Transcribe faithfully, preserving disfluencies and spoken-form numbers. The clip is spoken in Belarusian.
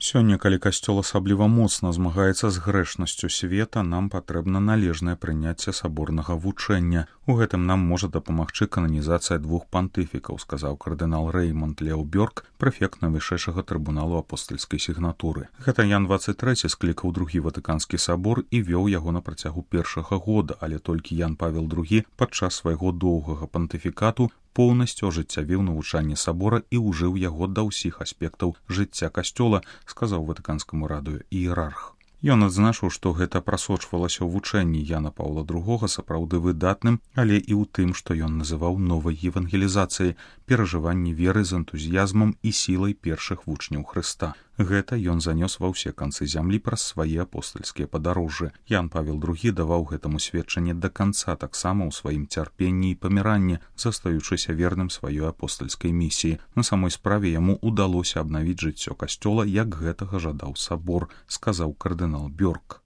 Сёння, калі касцёл асабліва моцна змагаецца з грэшнасцю света, нам патрэбна належнае прыняцце саборнага вучэння. У гэтым нам можа дапамагчы кананізацыя двух пантыфікаў, сказаў кардынал Рэймонд Лео Бёрк, прэфект найвышэйшага трыбуналу апостальскай сігнатуры. Гэта Ян дваццаць трэці склікаў другі ватыканскі сабор і вёў яго на працягу першага года, але толькі Ян Павел другі падчас свайго доўгага пантыфікату поўнасцю ажыццявіў навучанне сабора і ўжыў яго да ўсіх аспектаў жыцця касцёла, сказаў ватыканскаму радыё іерарх. Ён адзначыў, што гэта прасочвалася ў вучэнні Яна Паўла другога сапраўды выдатным, але і ў тым, што ён называў новай евангелізацыяй, перажыванні веры з энтузіязмам і сілай першых вучняў Хрыста. Гэта ён занёс ва ўсе канцы зямлі праз свае апостальскія падарожжы. Ян Павел другі даваў гэтаму сведчанне да канца таксама ў сваім цярпенні і паміранні, застаючыся верным сваёй апостальскай місіі. На самой справе яму ўдалося абнавіць жыццё касцёла, як гэтага жадаў сабор, сказаў кардынал Бёрк.